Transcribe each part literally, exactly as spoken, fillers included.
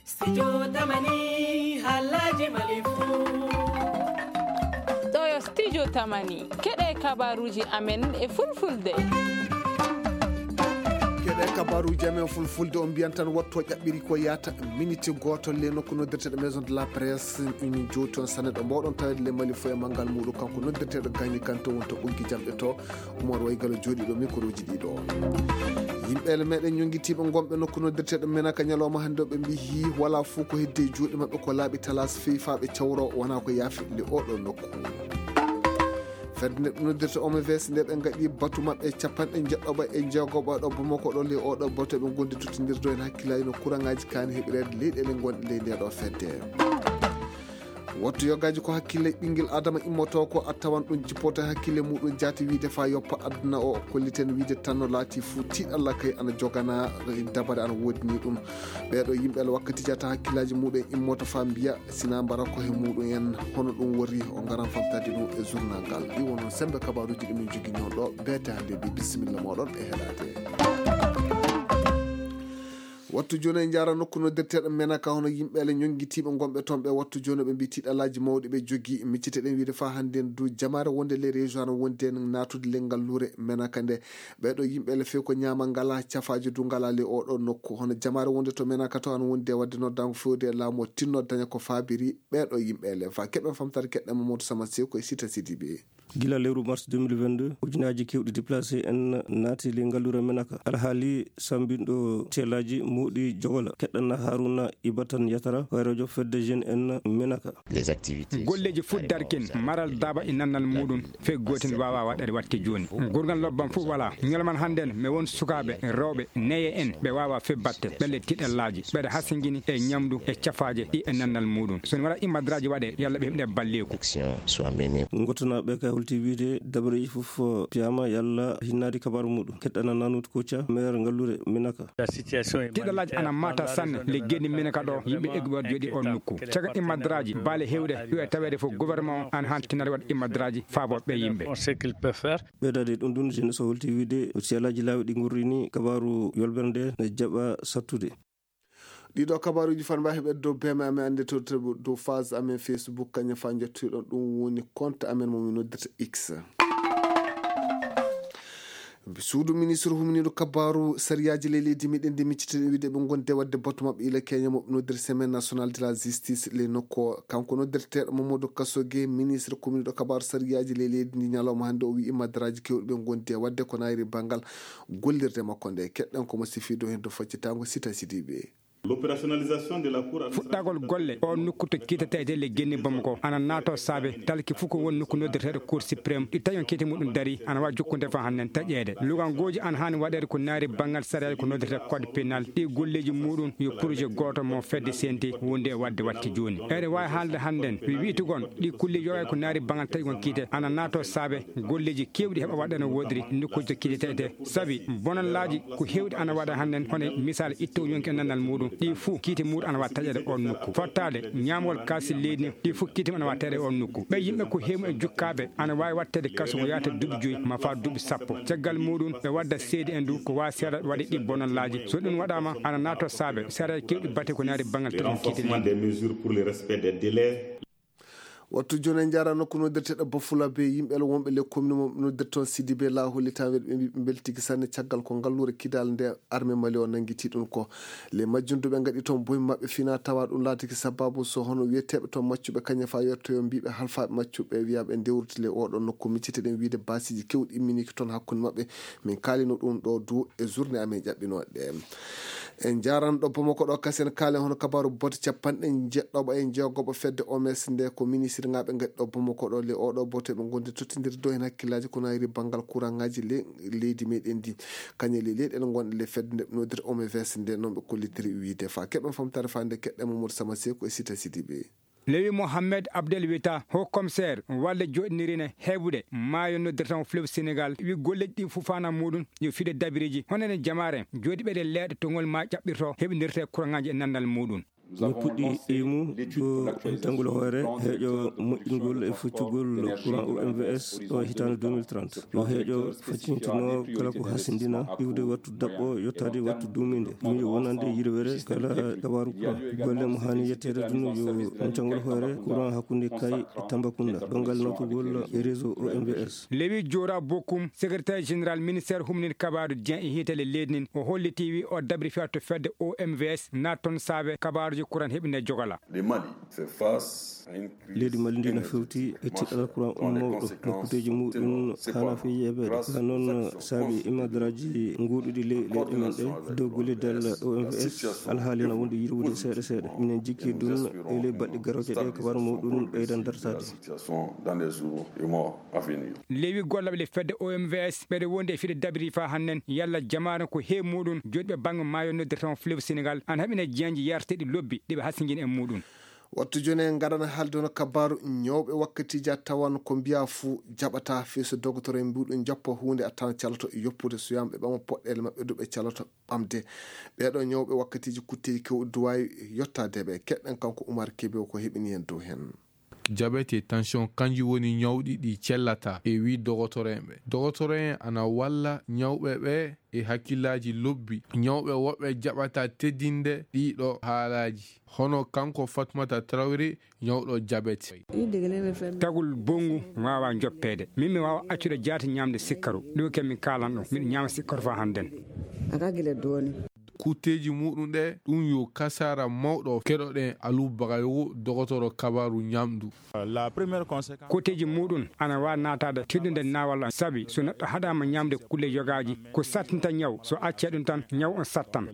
Studio Tamani, halaji Mali fu. Ɗo yo Studio Tamani, keɗe kabaruji amen e fulfulde. Keɗe kabaruji amen fulfulde, on mbiyan tan wattu o ƴaɓɓiri ko yata miniti goto le nokku noddirteɗo Maison de la Presse. Min jowti on sanne ɗo mbawɗon tawede le Mali fo e manngal muɗum, kanko noddirteɗo Gagny Kanté won to ɓoggi jamɗe to. Umar Waygalo jooɗiiɗo mikroji ɗiɗo. Yimɓe ele meɗen ñonngitiiɓe ngonɓe nokku noddirteeɗo Menaka ñalawma hannde o, ɓe mbiyi wala fof ko hedde e juuɗe maɓɓe, ko laaɓi talas fewi faa ɓe cawro, wona ko yaafi le oɗo nokku. Fedde nde ɓe noddirta O M V S nde ɓe ngaɗi batu maɓɓe capanɗe njeɗɗoɓa e jeegoɓa ɗo Bamako ɗo le oɗo batu ɓe ngondi tottindirdo en hakkillaaji no kuraŋaaji kaani heɓireede leyɗeele ngonɗe ley nde ɗo fedde. Wattu yogaaji ko hakkille ɓinngel Adama immoto ko a tawan ɗum jippoto e hakkille muɗum jaati wiide fa yoppa aduna o, kolliten wiide tan no laati fuu tiiɗalla kay ana jogana dabare ana woodini ɗum. Ɓeeɗo yimɓe ala wakkati jata hakkillaaji muɗum immoto fa mbiya sina mbara ko he muɗum en hono ɗum wori o ngaran famtade ɗum e journal ngal. Ɗi wonon sembe kabaruji ɗi min jogi ñon ɗo beete hannde ɗi. Bisimilla moɗon e heɗade. Wattu jooni en njaara nokku noddirteeɗo Menaka, hono yimɓe ale ñonngitiiɓe ngonɓe toon ɓe. Wattu jooni ɓe mbii tiiɗalaaji mawɗi ɓe jogii. Micciteɗen wiide faa hannde en du jamaare wonde les régions ana wondi en naatude le ngalluure Menaka nde. Ɓeeɗo yimɓe ale few ko ñaama ngala, cafaaji du ngala le oɗo nokku. Hono jamaare wonde to Menaka to ana wondi e waɗde noddaango fewde e laamu o tinno daña ko faabiri ɓeeɗo yimɓe ale. Fa keɓen famtare keɗɗen Mamadou Sama Sew ko e Sita Sidibe. Gila lewru mars deux mille vingt-deux, ujunaaji keewɗi déplacé en naati ley ngalluure Menaka. Alhaali sammbinɗo teelaaji moɗi jogola. Keɗɗana Haruna Ibatan Yatara, hoyreejo fedde jeune en Menaka. Les activités. Golleeji fuɗdarkin maral daaba e nannal muɗum, fee gootin waawa waɗeede watte jooni. Gurgal lobban fof wala. Ñalawma hannde en, mi won sukaaɓe, rewɓe, neye en, ɓe waawa fee batte, ɓe le tiɗallaaji, ɓeɗe hasingini e ñamdu e cafaaje ɗi e nannal muɗum. So mi waɗa immadraaji waɗe, yalla ɓe heɓde balleeku. Action soit menée. Ngotanaaɓe kay holti wiide dabareeji fof piyaama yalla hinnaade kabaaru muɗum. Keɗɗana Nanut Koca, maire ngalluure Menaka. Tiɗalaaji ana maata sanne le geni Menaka ɗo, yimɓe egguɓe waɗ jooɗi on nokku. Caga immadraaji, baale hewɗe, yo e taweede fof gouvernement o ana haan tinnaade waɗ immadraaji faabo ɓe yimɓe. Ɓeydaade ɗum ɗum, jeunesse o holti wiide ko siyalaaji laawi ɗi ngurri ni kabaaru yolbere nde ne jaɓa sattude. Ɗiɗo kabaaruuji fan mbawi heɓeede dow B M amen annde to, to, dow phase amen Facebook, kañum fa jottoɗon ɗum woni compte amen mo min noddirta X. Suudu ministre humniiɗo kabaaru sariyaaji ley leydi meɗen ndi miccitiɗen wiide ɓe gonde waɗde batu maɓɓe ila Kenya mo ɓe noddirta Semaine Nationale de la Justice ley nokku o. Kanko noddirteeɗo Mamadou Kasoge, ministre humniiɗo kabaaru sariyaaji ley leydi ndi ñalawma hannde o wi'i madaraaji kewɗi ɓe gondi e waɗde ko naayri banngal gollirde makko nde. Keɗɗen ko mo sifi dow heen dow faccitaango Sita Sidibe. L'opérationnalisation de la cour administrative. Fuɗɗagol golle o nokku to kiitetee le genni Bamako ana naato saabe talki fof ko won nokku noddirteeɗo Cour suprême ɗi taƴon kiite muɗum dari ana waawi jokkude fa hannen taƴeede. Lugangooji ana haani waɗeede ko naari banngal sariyaaji ko noddirtee code pénal. Ɗi golleeji muɗum yo projet gooto mo fedde C N T wondi e waɗde watte jooni. Eɗen waawi haalde hannden wi wi'tugon ɗi kulleeji yoga ko naari banngal taƴgon kiite ana naato saabe golleeji keewɗi heɓa waɗa no woodiri nokkuuji to kiitetee. Sabi bonallaaji ko heewɗi ana waɗa hannden, hono misal itto yonki e nannal muɗum, ɗi fuu kiite muɗum ana waɗa taƴeede on nokku. Fottaade ñaamgol kaasi leydi ndi, ɗi fuu kiite mum ana waɗa taƴeede on nokku. Ɓe yimɓe ko heewi e jukkaaɓe ana waawi waɗteede kaso ko yaata duuɓi joyi ma faa duuɓi sappo. Caggal muɗum ɓe wadda seede en du ko waawi seeɗa waɗi ɗi bonallaaji. So ɗum waɗaama ana naato saabe seeɗa kewɗi bate ko naari banngal taƴeede kiite leydi. Renforcement des mesures pour le respect des délais. Wattu jooni en njaara nokku noddirteeɗo Bafulabe, yimɓe ala wonɓe le commune mo noddirta toon Sidibe la hollitaa weɗ ɓe mbi ɓe mbeltigi sanne caggal ko ngalluure Kidal nde armée Mali o nanngiti ɗum ko. Le majjum du ɓe ngaɗi toon boy maɓɓe fina tawa ɗum laatiki sababu so hono wiyeteeɓe toon maccuɓe kañe fa yettoyo mbiɓe halfaaɓe maccuɓe wiyaɓe ndewruti le oɗo nokku micciteɗen wiide baasiiji kewɗi imminiki toon hakkunde maɓɓe. Min kaalino ɗum ɗo du e journée amen ƴaɓɓinooɗe ɗe. En njaran ɗo Bamako ɗo kasen kaalen hono kabaaru botte capanɗe njeɗɗoɓa e jeegoɓa fedde O M S nde ko ministre ngaɓe ngaɗi ɗo Bamako ɗo le oɗo botte ɓe gondi tottindirde dow hen hakkillaaji ko nayri banngal courant ngaji le leydi meɗen ndi. Kañe le leyɗe ɗe ngonɗe le fedde nde ɓe noddirta O M V S nde noon ɓe kollitiri wiide fa keɓen famtare fa nde keɗɗe Mamadou Sama Seku e Sita Sidibe. Lewi Mohamed Abdel Wita, haut commissaire, walle joɗinirine heɓude maayo noddirtamo fleuve Sénégal, wi golleji ɗi fof fana muɗum yo fiɗe dabiriji honene jamaare joɗiɓe ɗe leeɗe to ngol ma ƴaɓɓirto heɓindirte courant ngaji e nandal muɗum. Min puɗɗi e mum ko jangol hoore heeƴo moƴƴingol e foccugol courant O M V S o hitaande deux mille trente. Yo heeƴo faccintinoo kala ko hasindina iwde wattu daɓɓo yottaade wattu duumiinde. Ɗum yo wonande yirwere kala gawaaru courant. Golle mo haani yetteede ɗum yo jangol hoore courant hakkunde Kay e Tambacounda. Ɗongal nawtugol e réseau O M V S. Lewi Jora Bokum, secrétaire général ministère humnin kabaaru Dieng e hiitale leydi nin, o holliti wi o dabri fiya to fedde O M V S naat toon saabe kabaaruji kuran heɓine jogala. Le Mali fait face à une crise Leydi Mali ndi no énergétique fewti e tiɗal courant mawɗo no kuuteji muɗum haana fe yeebeede. Ka noon saabi imadaraaji nguuɗuɗi ley leyɗe men ɗe dow gollidal O M V S alhaali na wonde yirwude seeɗa seeɗa. Minen jikki ɗum e ley baɗɗe garooje ɗe kabaaru muɗum ɓeydan dartaade. Lewi gollaɓe le fedde O M V S ɓeɗe wondi e fiɗe dabiri fa hannen yalla jamaare ko he muɗum joɗiɓe bangge maayo noddirta on fleuve Sénégal ana haɓina jeenji yarteɗi lobbi ɗiɓe hasingin e muɗum. Wattu joni en gadana haalde hono kabaru ñawɓe wakkatiji a tawan ko mbiya fuu jaɓata fii so dogotoro en mbiɗum jappa huunde a tan calato e yoppude so yamɓe ɓama poɗɗele maɓɓe duɓe calato ɓamde. Ɓeɗo ñawɓe wakkatiji kutteji kewɗi duwawi yottadeɓe keɗɗen kanko Umar Kebe ko heɓini en dow hen. Jabet e tension kanji woni ñawɗi ɗi cellata e wi dogotoro en ɓe. Dogotoro en ana walla ñawɓe ɓe e hakkillaaji lobbi. Ñawɓe woɓɓe jaɓata teddinde ɗiɗo haalaaji. Hono kanko Fatmata Traoré, ñawɗo jabet. Tagul bonngu waawa joppeede. Min mi waawa accude jaati ñaamde sikkaru. Ɗum ken mi kaalan ɗum. Miɗo ñaama sikkaru faa hannden. Kutteeji muɗum ɗe, ɗum yo kasara mawɗo. Keɗoɗen Aliou Bagayogo, dogotoro kabaru ñamdu. Kotteeji muɗum ana waawi naataade tiɗɗunde naawal an, sabi so neɗɗo haɗaama ñaamde kulle yogaaji, ko sattinta ñaw, so accee ɗum tan, ñaw on sattan.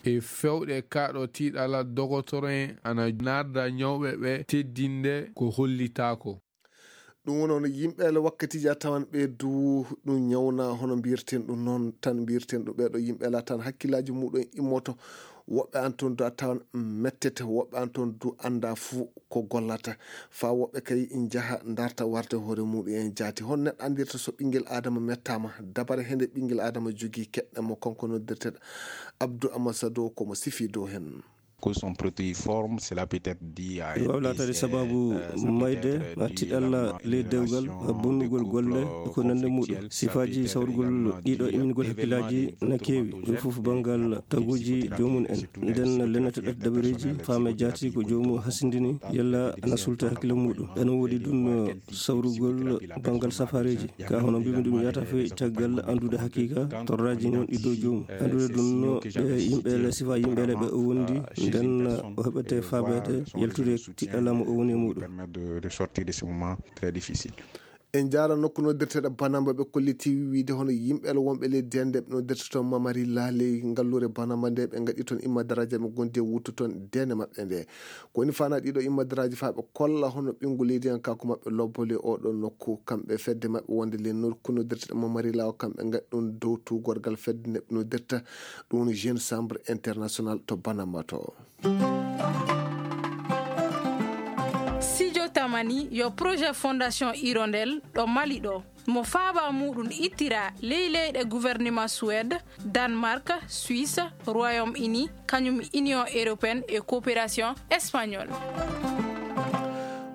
E fewɗe kaaɗo tiiɗalal, dogotoro en ana naarda ñawɓe ɓe teddinde ko hollitaako. Ɗum woni hono yimɓe ele wakkatiiji a tawan ɓe du ɗum ñawna hono mbiyirten ɗum noon tan mbiyirten ɗum ɓeeɗo yimɓe ele a tawan hakkillaaji muɗum immoto. Woɓɓe an toon du a tawan mettete, woɓɓe an toon du annda fuu ko gollata. Faa woɓɓe kay njaha ndarta warde hoore muɗum en jaati. Hon neɗɗo anndirta so ɓinngel Aadama mettaama, dabare hende ɓinngel Aadama jogii keɗɗen mo kanko noddirteɗo Abdou Amasado ko mo sifi dow hen. Ko son protéiforme, cela peut être dû à un Ɗum waawi laataade décès, sababu euh, ça peut mayde être ma dû tiɗalla ley dewgal ma bonnugol golle e ko nande muɗum. Sifaaji sawrugol ɗiɗo imingol hakkillaaji na keewi. Ɗum fof banngal taguuji joomum en. Nden lennata ɗat dabareeji faame jaati ko joomum hasindini yalla ana sulta hakkille muɗum. Ene woodi ɗum sawrugol banngal safaareeji. Ka hono mbimi ɗum yata fe caggal anndude hakiika torraaji ngonɗi dow joomum. Anndude ɗum no ɓe yimɓe le sifa yimɓe le ɓe o wondi nden o heɓete faabeede yaltude tiɗɗalla mo o woni e muɗum. Permettre de, de sortir de ce moment très difficile. En njaara nokku noddirteɗo Banamba ɓe kolliti wiide hono yimɓe le wonɓe leydi hannde ɓe noddirta toon Mamari Laaley ngalluure Banamba nde ɓe ngaɗi toon imma daraaji ɓe gondi e wuttu toon dende maɓɓe nde. Ko woni fana ɗiɗo imma daraaji faa ɓe kolla hono ɓinngu leydi en kanko maɓɓe lobbole oɗo nokku kamɓe fedde maɓɓe wonde le nokku noddirteɗo Mamari Laawo kamɓe ngaɗi ɗum dow tuugorgal fedde neɓɓe noddirta ɗum woni Jeune Chambre International to Banamba to. Sijo Tamani yo projet Fondation Hirondelle ɗo Mali ɗo. Mo faaba muɗum ittira ley leyɗe gouvernement Suède, Danemark, Suisse, Royaume-Uni, kañum Union européenne e coopération espagnole.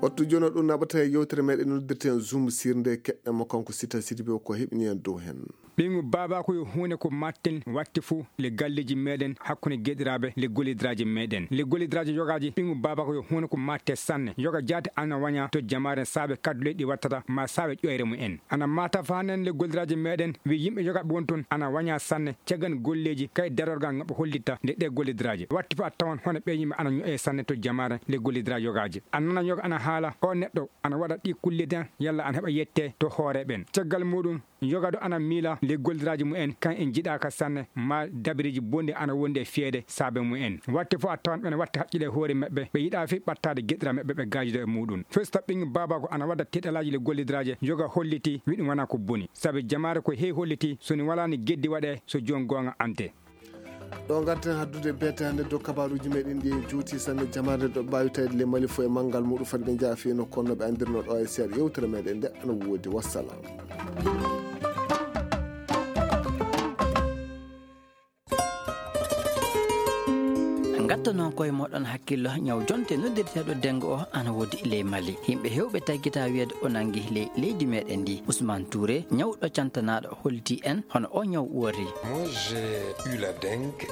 Wattu jono ɗum naɓata e yewtere meɗen noddirten Zoom sirnde keɗɗen mo kanko Sita Sidibé ko heɓini en dow hen. Ɓiŋu baaba ko yo huunde ko matten watti fuu le galleeji meɗen hakkunde geɗiraaɓe le gollidiraaji meɗen. Le gollidiraaji yogaaji ɓiŋu baaba ko yo huunde ko matte sanne. Yoga jaati ana waña to jamaare saabe kadduleeji ɗi wattata ma saabe ƴoyre mu en. Ana mata faanen le gollidiraaji meɗen wi yimɓe yogaaɓe won toon ana waña sanne caggan golleeji kay darorgal ngaɓe hollitta nde ɗe gollidiraaji. Watti fuu a tawan hono ɓe yimɓe ana ño'e sanne to jamaare le gollidiraaji yogaaji. A nana yoga ana haala o neɗɗo ana waɗa ɗi kulle den yalla ana heɓa yette to hoore ɓen. Caggal muɗum, yoga ɗo ana miila le gollidiraaji mu en kan en jiɗaaka sanne ma dabiriji bonɗi ana wondi e fiyeede saabe mu en. Watte fof a tawan ɓen watta haqqile e hoore maɓɓe, ɓe yiɗa fi ɓattaade geɗira maɓɓe ɓe gaajido e muɗum. Festa ɓiŋ baabako ana wadda teɗalaaji le gollidiraaje yoga holliti wi ɗum wana ko boni. Sabe jamaare ko hey holliti so ni walaani geddi waɗe so joon goonga ante. Ɗo ngarten haddude beete hannde dow kabaruuji meɗen ɗi en juuti sanne jamaare ɗo mbaawi tawde le Mali fof e manngal muɗum fati ɓe njaha fii no konno ɓe anndirno ɗo e seeɗa yewtere meɗen nde ana woodi. Wassalam. Gatta noon koye moɗon hakkillo, ñaw jonte noddirteeɗo dengue o ana woodi ley Mali. Yimɓe heewɓe taggita wiyeede o nangi ley leydi meɗen ndi. Ousmane Touré, ñawɗo cantanaaɗo, holliti en hono o ñaw uwori. Moi, j'ai eu la dengue.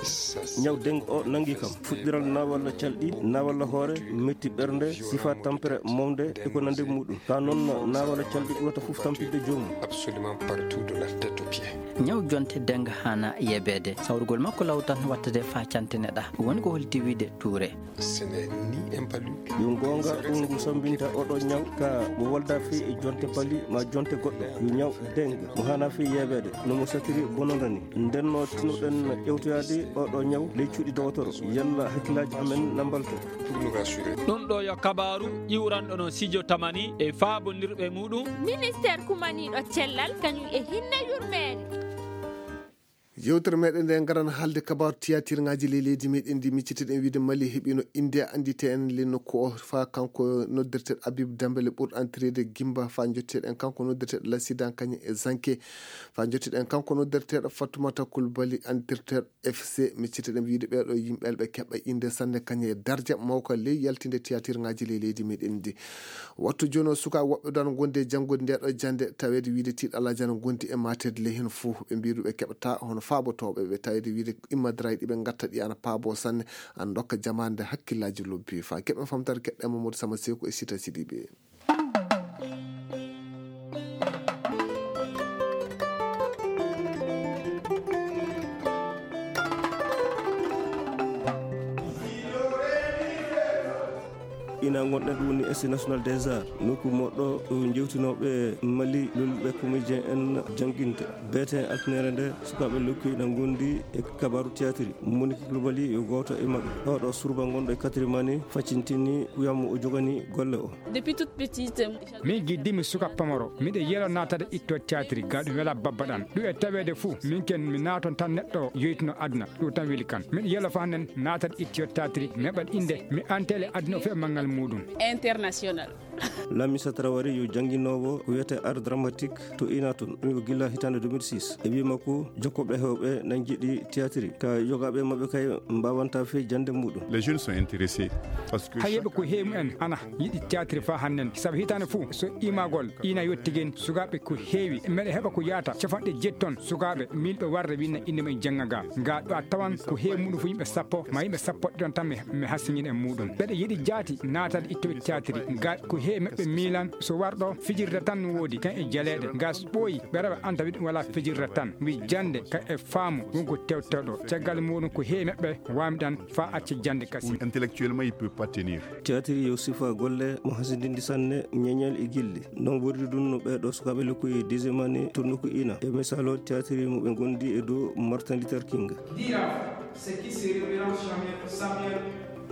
Ñaw dengue o nangi kam. Fuɗɗiral naawalla calɗi, naawalla hoore, metti ɓernde, sifa tampere mawde e ko nandi e muɗum. Ka noon naawalla calɗi ɓurata fof tampinde joomum. Absolument partout de la tête aux pieds. Ñaw jonte dengue hana yebeede. Sawrugol makko law tan wattade faa cantine ɗa. Woni ko holliti wiide Touré. Ce n'est ni un palu. Yo goonga ɗum ngu sambinta oɗo ñaw ka mo walda fii e jonte pali ma jonte goɗɗo. Yo ñaw dengue mo hana fii yebeede no mo satiri bononda ni. Ndenno tinoɗen ƴewtoyaade oɗo ñaw ley cuuɗi dowotoro. Yalla hakkillaaji amen na mbalto. Pour nous rassurer. Ɗum ɗo yo kabaaru iwranɗo no Sijo Tamani e faabondirɓe muɗum. Ministeer kumaniiɗo cellal kañum e hinne yurmeende. Yewtere meɗen nde ngaran haalde kabaaru tiyatirŋaaji ley leydi meɗen ndi. Micciteɗen wiide Mali heɓino innde anndite en le nokku o faa kanko noddirteɗo Habib Dembélé ɓurɗo antireede Gimba faa jotteɗen kanko noddirteɗo Lassidan kañum e Zanke. Faa jotteɗen kanko noddirteɗo Fatoumata Coulibaly antirteɗo F C. Micciteɗen wiide ɓeeɗo yimɓe ɓe keɓa innde sanne kañum e darja mawka ley yaltinde tiyatirŋaaji ley leydi meɗen ndi. Wattu jooni o suka woɓɓe ɗon gondi e janngude nde ɗo jannde taweede wiide tiiɗalaaji ana gondi e mateede ley heen fof ɓe mbiiru ɓe keɓata hono faabotooɓe ɓe taweede wiide immadraji ɗi ɓe ngatta ɗi ana paabo sanne ana ndokka jamaande hakkillaaji lobbi faa keɓen famtare keɗɗe Mamadou Sama Seeku e Sita Sidiɓe. Ina ngonɗen ɗum woni Institut National des Arts, nokku moɗɗo jewtinooɓe Mali lolluɓe comédien en jannginte. Beete altinere nde sukaaɓe lokki ina ngondi e kabaaru théâtre. Monique Coulibaly yo gooto e maɓɓe. Oɗo surba gonɗo e Katirimani faccintini kuyam o jogani golle o. Depuis toute petite, min giddimi suka pamaro miɗo yelo natade itto théâtre ga ɗum wela babba ɗan ɗum e taweede fuu min ken mi naaton tan neɗɗo yoytuno aduna ɗum tan weli kan miɗo yelo fa nen natade itto théâtre meɓal inde mi antele aduna o fe manngal muɗum. International. Lamisa Traoré yo jannginoowo ko wiyetee art dramatique to Inaton, ɗum ko gila hitaande deux mille six. E wii makko, jokkooɓe hewɓe nan njiɗi théâtre, ka yogaaɓe maɓɓe kay mbaawanta fey jannde muɗum. Les jeunes sont intéressés. Parce que hayɓe ko heewi en ana yiɗi théâtre fa hannden sabu hitaande fof so imagol ina yottigen sukaaɓe ko heewi meɗa heɓa ko yaata capanɗe jetton sukaaɓe milɓe warde winna innde mum jannga ga ga ɗo a tawan ko heewi muɗum fof yimɓe sappo ma yimɓe sappo ɗon tan mi hassiñin e muɗum ɓeɗa yiɗi jaati naatade ittoɓe théâtre ga ko heewi maɓɓe milan so warɗo fijirde tan no woodi kan e jaleeɗe ga so ɓooyi ɓe rewa anta wiɗum wala fijirde tan wi jannde ka e faamu wonko tewtoɗo caggal muɗum ko heewi maɓɓe wamɗan fa acca jannde kasi. Intellectuellement il peut pas tenir. Théâtre yo sifa golle mo hasindindi sanne ñeñal e gilli. Non wordi ɗum no ɓeeɗo sukaaɓe lokkuyi disemani to nokku ina e misalo théâtre mo ɓe gondi e dow Martin Luther King. Dira ce qui se révérend Samuel Samuel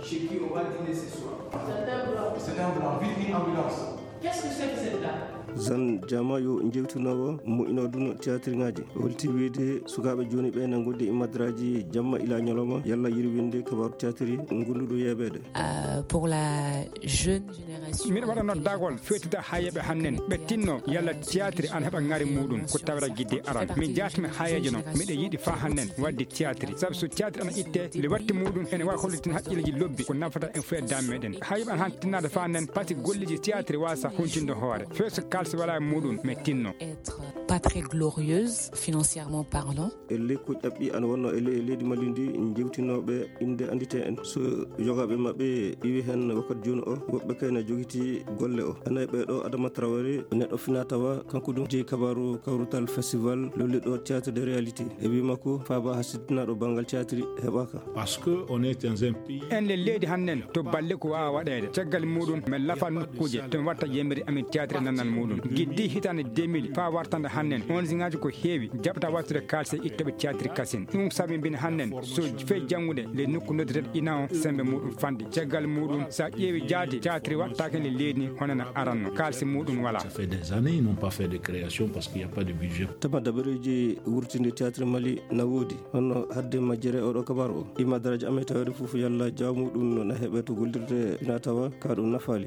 chez qui on va dîner ce soir. C'est un blanc. C'est un blanc. Vite, vite, ambulance. Qu'est-ce que c'est que cette dame? Zan jama yo jewtinowo mo ino duno théâtre ngaji holti wiide sukaaɓe jooni ɓe na gondi e madraji jamma ila ñalawma yalla yirwinde kabaru théâtre ngonduɗo yeeɓeede. Euh, pour la jeune génération. Miɗo waɗa noddagol feetude hayeɓe hannen ɓe tinno yalla théâtre an heɓa ngari muɗum ko tawra gidde aran min jatmi hayejo no miɗo yiɗi fa hannen wadde théâtre sabu so théâtre ana itte le watti muɗum ene wawi hollitin haqqilleji lobbi ko nafata en foye dam meɗen hayeɓe an han tinnade fa hannen pati golleji théâtre wasa huntinde hoore feso kalsi wala e muɗum mi tinno. Être pas très glorieuse financièrement parlant. E ley ko ƴaɓɓi ana wonno e ley e leydi Mali ndi jewtinooɓe innde anndite en so yogaaɓe maɓɓe iwi heen wakkati jooni o woɓɓe kayna jogiti golle o ana e ɓeeɗo Adama Traoré neɗɗo fina tawa kanko ɗum jeyi kabaru kawrutal festival lolliɗo théâtre de réalité e wi makko faaba ha siddinaɗo banngal théâtre heɓaka. Parce que on est dans un pays. En le leydi hannen to balle ko wawa waɗede caggal muɗum min lafa nokkuuje to mi watta yemiri amin théâtre nannal muɗum giddi hitande deux mille fa wartande hannen on siŋaji ko heewi jaɓata wattude kalse ittoɓe théâtre kasin ɗum sabi mbin hannen so fey janngude le nokku noddirede ina o sembe muɗum fande caggal muɗum sa ƴeewi jaade théâtre waɗtake le leydi ni honana aranno kalse muɗum wala. Ça fait des années ils n'ont pas fait de création parce qu'il n'y a pas de budget. Tama dabareji wurtinde théâtre mali na woodi hono hadde majjere oɗo kabar o ima daraja amen tawede fof yalla jawmuɗum no na heɓe to gollirde ina tawa ka ɗum nafaali.